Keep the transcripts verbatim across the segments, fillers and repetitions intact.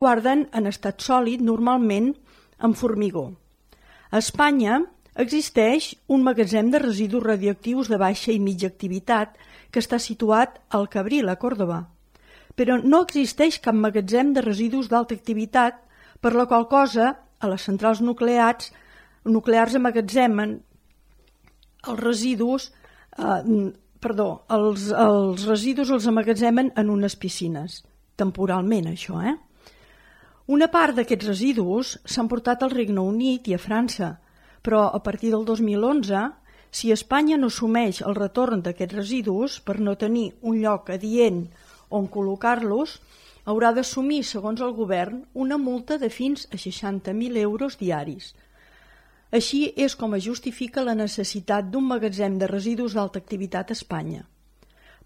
guarden en estat sòlid, normalment en formigó. A Espanya existeix un magatzem de residus radioactius de baixa i mitja activitat que està situat al Cabril, a Còrdova. Però no existeix cap magatzem de residus d'alta activitat, per la qual cosa a les centrals nuclears, nuclears emmagatzemen els residus, eh, perdó, els, els residus els emmagatzemen en unes piscines, temporalment això, eh? Una part d'aquests residus s'han portat al Regne Unit i a França, però a partir del dos mil onze, si Espanya no assumeix el retorn d'aquests residus per no tenir un lloc adient on col·locar-los, haurà d'assumir, segons el govern, una multa de fins a seixanta mil euros diaris. Així és com es justifica la necessitat d'un magatzem de residus d'alta activitat a Espanya.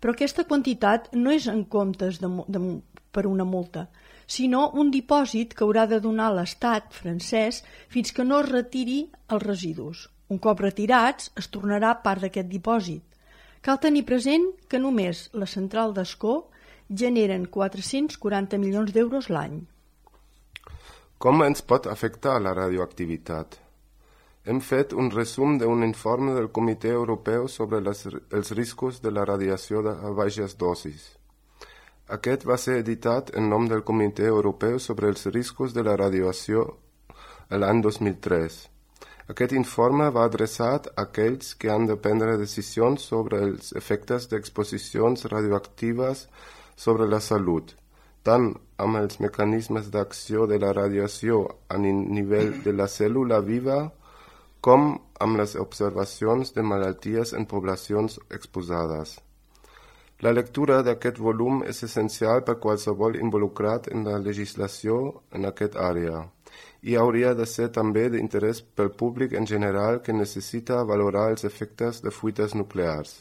Però aquesta quantitat no és en comptes de, de, per una multa, sinó un dipòsit que haurà de donar l'Estat francès fins que no es retiri els residus. Un cop retirats, es tornarà part d'aquest dipòsit. Cal tenir present que només la central d'Ascó generen quatre-cents quaranta milions d'euros l'any. Com ens pot afectar la radioactivitat? Hem fet un resum d'un informe del Comitè Europeu sobre les, els riscos de la radiació a baixes dosis. Aquest va ser editat en nom del Comitè Europeu sobre els riscos de la radiació l'any dos mil tres. Aquest informe va adreçat a aquells que han de prendre decisions sobre els efectes d'exposicions radioactives sobre la salut, tant amb els mecanismes d'acció de la radiació a nivell de la cèl·lula viva com amb les observacions de malalties en poblacions exposades. La lectura d'aquest volum és essencial per qualsevol involucrat en la legislació en aquesta àrea i hauria de ser també d'interès pel públic en general que necessita valorar els efectes de fuites nuclears.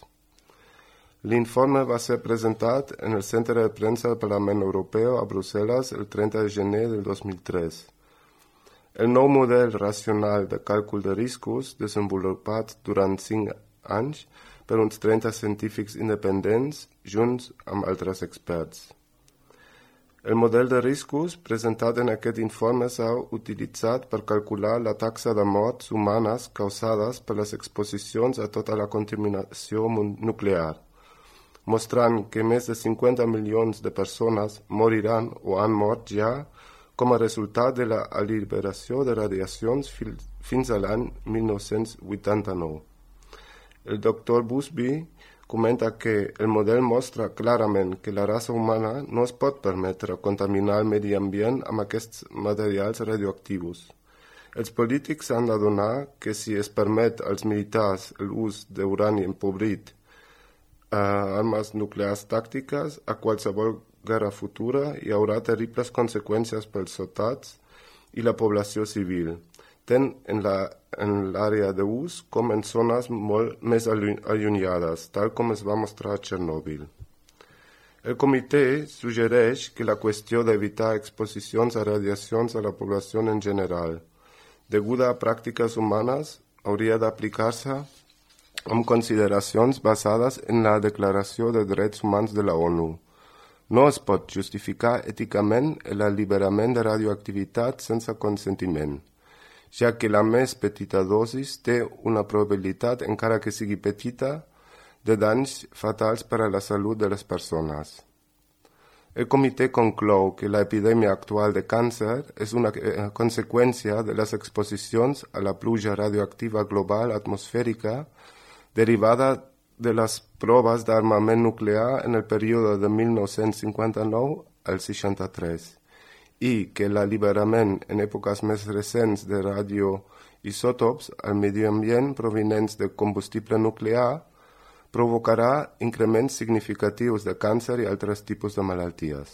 L'informe va ser presentat en el Centre de Premsa del Parlament Europeu a Brussel·les el trenta de gener del dos mil tres. El nou model racional de càlcul de riscos, desenvolupat durant cinc anys per uns trenta científics independents, junts amb altres experts. El model de riscos presentat en aquest informe s'ha utilitzat per calcular la taxa de morts humanes causades per les exposicions a tota la contaminació nuclear, mostrant que més de cinquanta milions de persones moriran o han mort ja com a resultat de la alliberació de radiacions fins a l'any mil nou-cents vuitanta-nou. El doctor Busby comenta que el model mostra clarament que la raça humana no es pot permetre contaminar el medi ambient amb aquests materials radioactius. Els polítics han d'adonar que si es permet als militars l'ús d'urani empobrit, eh, armes nuclears tàctiques, a qualsevol guerra futura hi haurà terribles conseqüències pels soldats i la població civil, tant en l'àrea d'ús com en zones molt més allunyades, tal com es va mostrar a Txernòbil. El comitè suggereix que la qüestió d'evitar exposicions a radiacions a la població en general, deguda a pràctiques humanes, hauria d'aplicar-se amb consideracions basades en la Declaració de Drets Humans de la ONU. No es pot justificar èticament l'alliberament de radioactivitat sense consentiment, ja que la més petita dosis té una probabilitat, encara que sigui petita, de danys fatals per a la salut de les persones. El comitè conclou que l'epidèmia actual de càncer és una conseqüència de les exposicions a la pluja radioactiva global atmosfèrica derivada de les proves d'armament nuclear en el període de mil nou-cents cinquanta-nou al seixanta-tres i que l'alliberament en èpoques més recents de radioisòtops al medi ambient provinents de combustible nuclear provocarà increments significatius de càncer i altres tipus de malalties.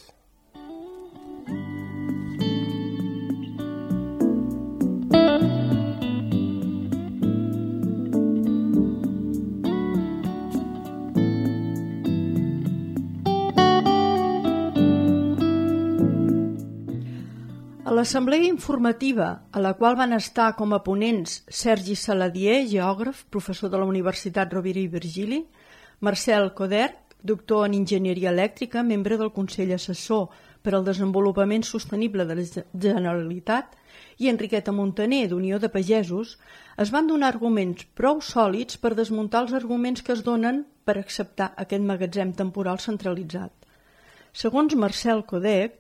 A l'assemblea informativa, a la qual van estar com a ponents Sergi Saladier, geògraf, professor de la Universitat Rovira i Virgili, Marcel Coderch, doctor en enginyeria elèctrica, membre del Consell Assessor per al Desenvolupament Sostenible de la Generalitat i Enriqueta Montaner, d'Unió de Pagesos, es van donar arguments prou sòlids per desmuntar els arguments que es donen per acceptar aquest magatzem temporal centralitzat. Segons Marcel Codec,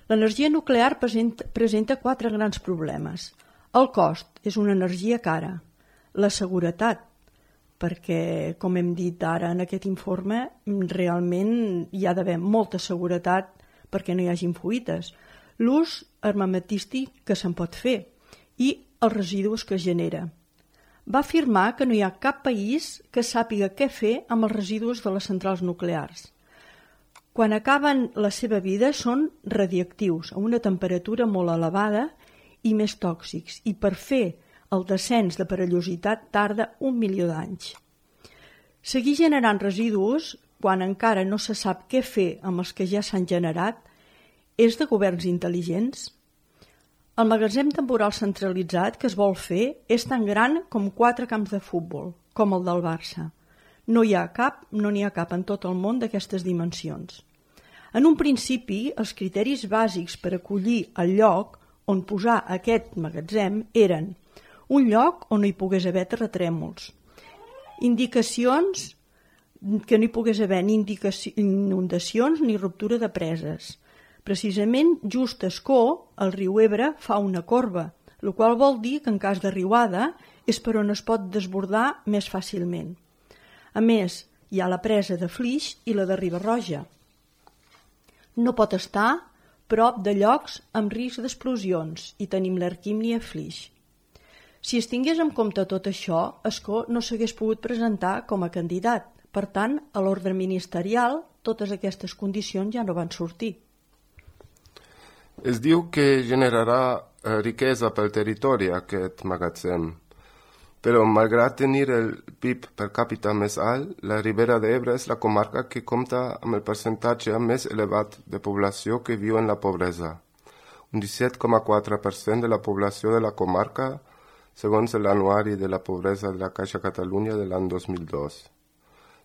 l'energia nuclear presenta, presenta quatre grans problemes. El cost és una energia cara. La seguretat, perquè, com hem dit ara en aquest informe, realment hi ha d'haver molta seguretat perquè no hi hagin fuites. L'ús armamentístic que se'n pot fer i els residus que genera. Va afirmar que no hi ha cap país que sàpiga què fer amb els residus de les centrals nuclears. Quan acaben la seva vida són radioactius, a una temperatura molt elevada i més tòxics, i per fer el descens de perillositat tarda un milió d'anys. Seguir generant residus, quan encara no se sap què fer amb els que ja s'han generat, és de governs intel·ligents? El magatzem temporal centralitzat que es vol fer és tan gran com quatre camps de futbol, com el del Barça. No hi ha cap, no n'hi ha cap en tot el món d'aquestes dimensions. En un principi, els criteris bàsics per acollir el lloc on posar aquest magatzem eren un lloc on no hi pogués haver terratrèmols, indicacions que no hi pogués haver ni inundacions ni ruptura de preses. Precisament, just a Ascó, el riu Ebre fa una corba, el qual vol dir que en cas de riuada és per on es pot desbordar més fàcilment. A més, hi ha la presa de Flix i la de Riba-roja. No pot estar prop de llocs amb risc d'explosions i tenim l'Arquímnia Flix. Si es tingués en compte tot això, Ascó no s'hagués pogut presentar com a candidat. Per tant, a l'ordre ministerial, totes aquestes condicions ja no van sortir. Es diu que generarà eh, riquesa pel territori aquest magatzem, però malgrat tenir el P I B per càpita més alt, la Ribera d'Ebre és la comarca que compta amb el percentatge més elevat de població que viu en la pobresa, un disset coma quatre per cent de la població de la comarca, segons l'anuari de la pobresa de la Caixa Catalunya de l'any dos mil dos.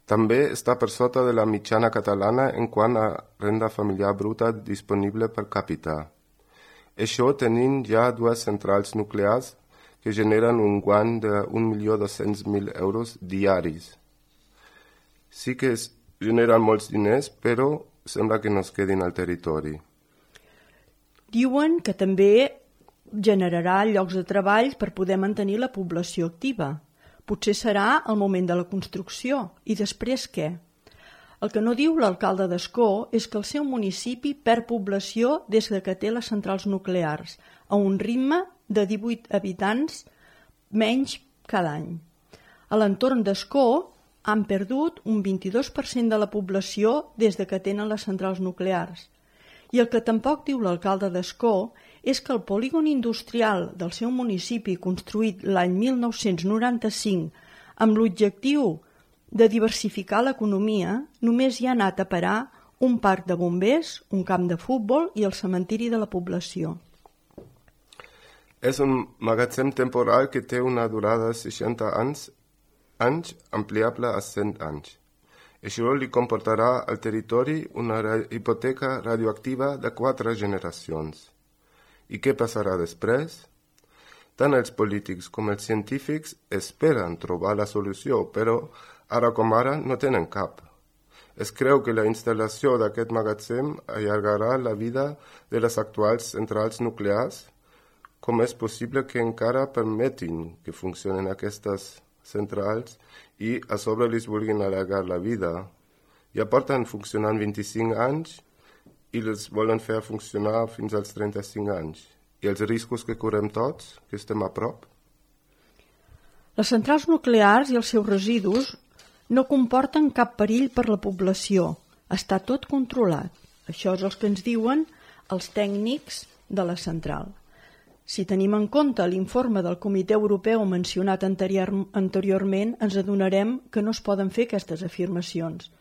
També està per sota de la mitjana catalana en quant a renda familiar bruta disponible per càpita. Això tenint ja dues centrals nuclears que generen un guany d'un milió dos-cents mil euros diaris. Sí que es generen molts diners, però sembla que no es quedin al territori. Diuen que també generarà llocs de treball per poder mantenir la població activa. Potser serà el moment de la construcció. I després què? El que no diu l'alcalde d'Ascó és que el seu municipi perd població des que té les centrals nuclears, a un ritme de divuit habitants menys cada any. A l'entorn d'Ascó han perdut un vint-i-dos per cent de la població des que tenen les centrals nuclears. I el que tampoc diu l'alcalde d'Ascó és que el polígon industrial del seu municipi, construït l'any mil nou-cents noranta-cinc amb l'objectiu de diversificar l'economia, només hi ha anat a parar un parc de bombers, un camp de futbol i el cementiri de la població. És un magatzem temporal que té una durada de seixanta anys, anys ampliable a cent anys. Això li comportarà al territori una hipoteca radioactiva de quatre generacions. I què passarà després? Tant els polítics com els científics esperen trobar la solució, però ara com ara no tenen cap. Es creu que la instal·lació d'aquest magatzem allargarà la vida de les actuals centrals nuclears. Com és possible que encara permetin que funcionen aquestes centrals i a sobre les vulguin allargar la vida? Ja porten funcionant vint-i-cinc anys i les volen fer funcionar fins als trenta-cinc anys. I els riscos que correm tots, que estem a prop? Les centrals nuclears i els seus residus no comporten cap perill per la població. Està tot controlat. Això és el que ens diuen els tècnics de la central. Si tenim en compte l'informe del Comitè Europeu mencionat anterior, anteriorment, ens adonarem que no es poden fer aquestes afirmacions.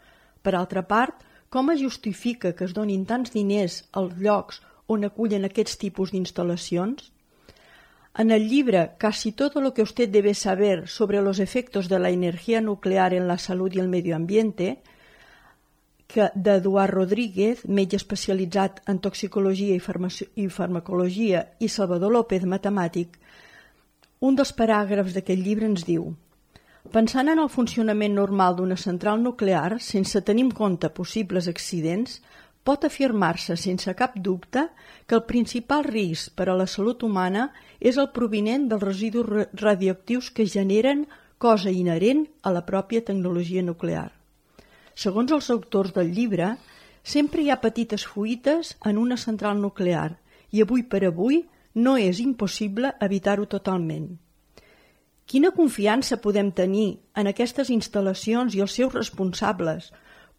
Per altra part, com es justifica que es donin tants diners als llocs on acullen aquests tipus d'instal·lacions? En el llibre Casi todo lo que usted debe saber sobre los efectos de la energía nuclear en la salud y el medio ambiente, que d'Eduard Rodríguez, metge especialitzat en toxicologia i, farmaci- i farmacologia, i Salvador López, matemàtic, un dels paràgrafs d'aquest llibre ens diu: pensant en el funcionament normal d'una central nuclear, sense tenir en compte possibles accidents, pot afirmar-se sense cap dubte que el principal risc per a la salut humana és el provinent dels residus radioactius que generen, cosa inherent a la pròpia tecnologia nuclear. Segons els autors del llibre, sempre hi ha petites fuites en una central nuclear i avui per avui no és impossible evitar-ho totalment. Quina confiança podem tenir en aquestes instal·lacions i els seus responsables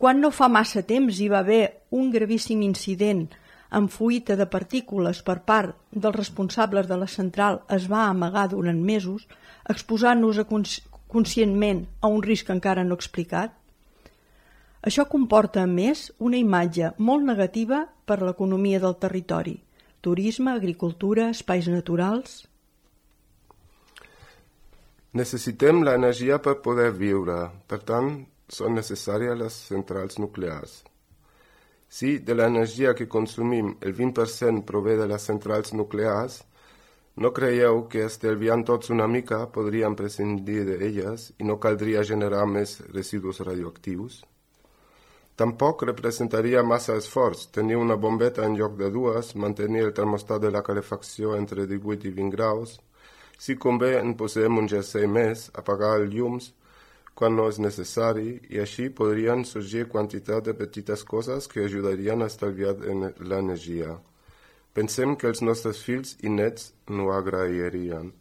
quan no fa massa temps hi va haver un gravíssim incident amb fuita de partícules per part dels responsables de la central es va amagar durant mesos, exposant-nos a cons- conscientment a un risc encara no explicat? Això comporta, a més, una imatge molt negativa per a l'economia del territori: turisme, agricultura, espais naturals. Necessitem l'energia per poder viure, per tant, són necessàries les centrals nuclears. Si de l'energia que consumim el vint per cent prové de les centrals nuclears, no creieu que estalviant tots una mica podríem prescindir d'elles i no caldria generar més residus radioactius? Tampoc representaria massa esforç tenir una bombeta en lloc de dues, mantenir el termostat de la calefacció entre divuit i vint graus. Si convé, en posem un jersei més, apagar els llums quan no és necessari, i així podrien sorgir quantitat de petites coses que ajudarien a estalviar l'energia. Pensem que els nostres fills i nets no agrairien.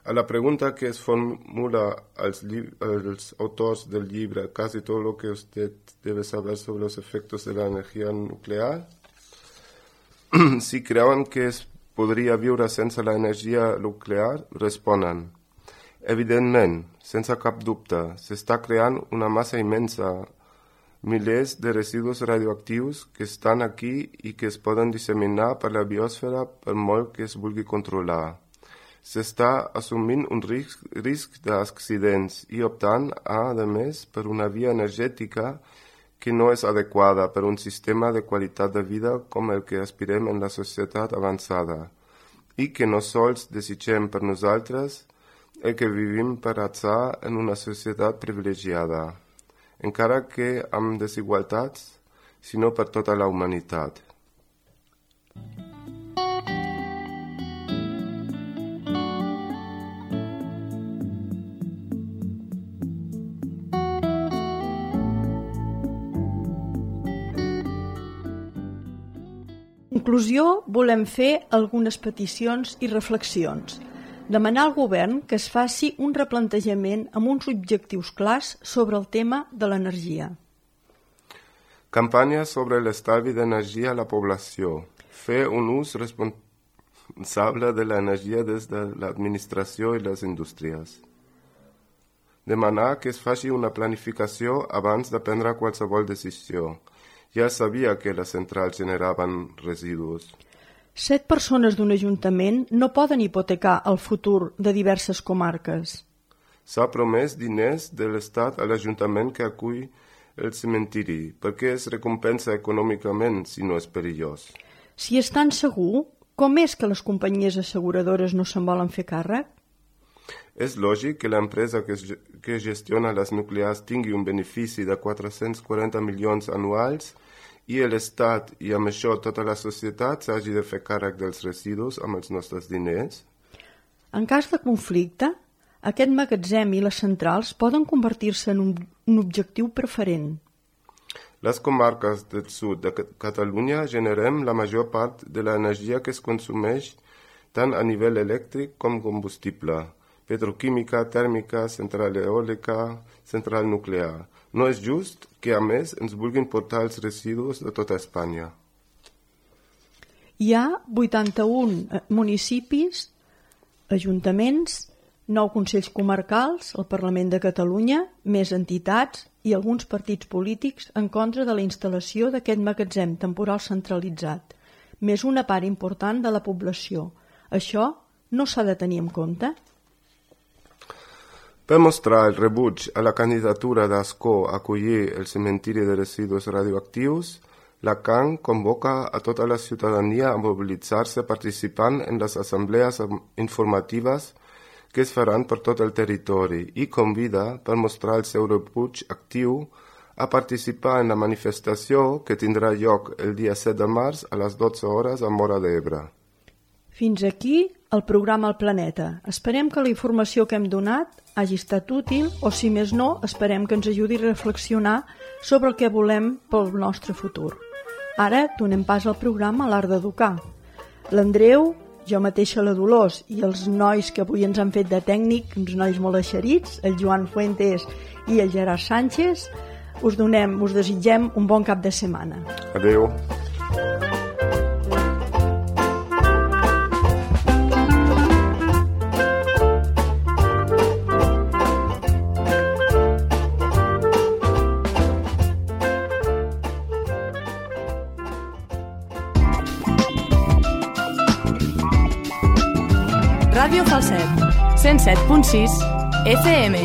A la pregunta que es formula als, als autors del libre, casi todo lo que usted debe saber sobre los efectos de la energía nuclear, si creuen que es podria viure sense l'energia nuclear, responen: evidentment, sense cap dubte, s'està creant una massa immensa, milers de residus radioactius que estan aquí i que es poden disseminar per la biosfera per molt que es vulgui controlar. S'està assumint un risc, risc d'accidents i optant, a, a més, per una via energètica que no és adequada per un sistema de qualitat de vida com el que aspirem en la societat avançada i que no sols desitgem per nosaltres el que vivim per atzar en una societat privilegiada, encara que amb desigualtats, sinó per tota la humanitat. En conclusió, volem fer algunes peticions i reflexions. Demanar al govern que es faci un replantejament amb uns objectius clars sobre el tema de l'energia. Campanya sobre l'estalvi d'energia a la població. Fer un ús responsable de l'energia des de l'administració i les indústries. Demanar que es faci una planificació abans de prendre qualsevol decisió. Ja sabia que les centrals generaven residus. Set persones d'un ajuntament no poden hipotecar el futur de diverses comarques. S'ha promès diners de l'Estat a l'Ajuntament que acull el cementiri, perquè es recompensa econòmicament si no és perillós. Si és tan segur, com és que les companyies asseguradores no se'n volen fer càrrec? És lògic que l'empresa que, que gestiona les nuclears tingui un benefici de quatre-cents quaranta milions anuals i l'Estat i amb això tota la societat s'hagi de fer càrrec dels residus amb els nostres diners? En cas de conflicte, aquest magatzem i les centrals poden convertir-se en un, un objectiu preferent. Les comarques del sud de Catalunya generem la major part de l'energia que es consumeix tant a nivell elèctric com combustible, petroquímica, tèrmica, central eòlica, central nuclear. No és just que, a més, ens vulguin portar els residus de tota Espanya. Hi ha vuitanta-un municipis, ajuntaments, nou consells comarcals, el Parlament de Catalunya, més entitats i alguns partits polítics en contra de la instal·lació d'aquest magatzem temporal centralitzat, més una part important de la població. Això no s'ha de tenir en compte? Per mostrar el rebuig a la candidatura d'Ascó a acollir el cementiri de residus radioactius, la C A N convoca a tota la ciutadania a mobilitzar-se participant en les assemblees informatives que es faran per tot el territori i convida, per mostrar el seu rebuig actiu, a participar en la manifestació que tindrà lloc el dia set de març a les dotze hores a Móra d'Ebre. Fins aquí el programa El Planeta. Esperem que la informació que hem donat hagi estat útil o, si més no, esperem que ens ajudi a reflexionar sobre el que volem pel nostre futur. Ara donem pas al programa L'Art d'Educar. L'Andreu, jo mateixa la Dolors i els nois que avui ens han fet de tècnic, uns nois molt eixerits, el Joan Fuentes i el Gerard Sánchez, us donem, us desitgem un bon cap de setmana. Adéu. Ràdio Falset, cent set punt sis F M.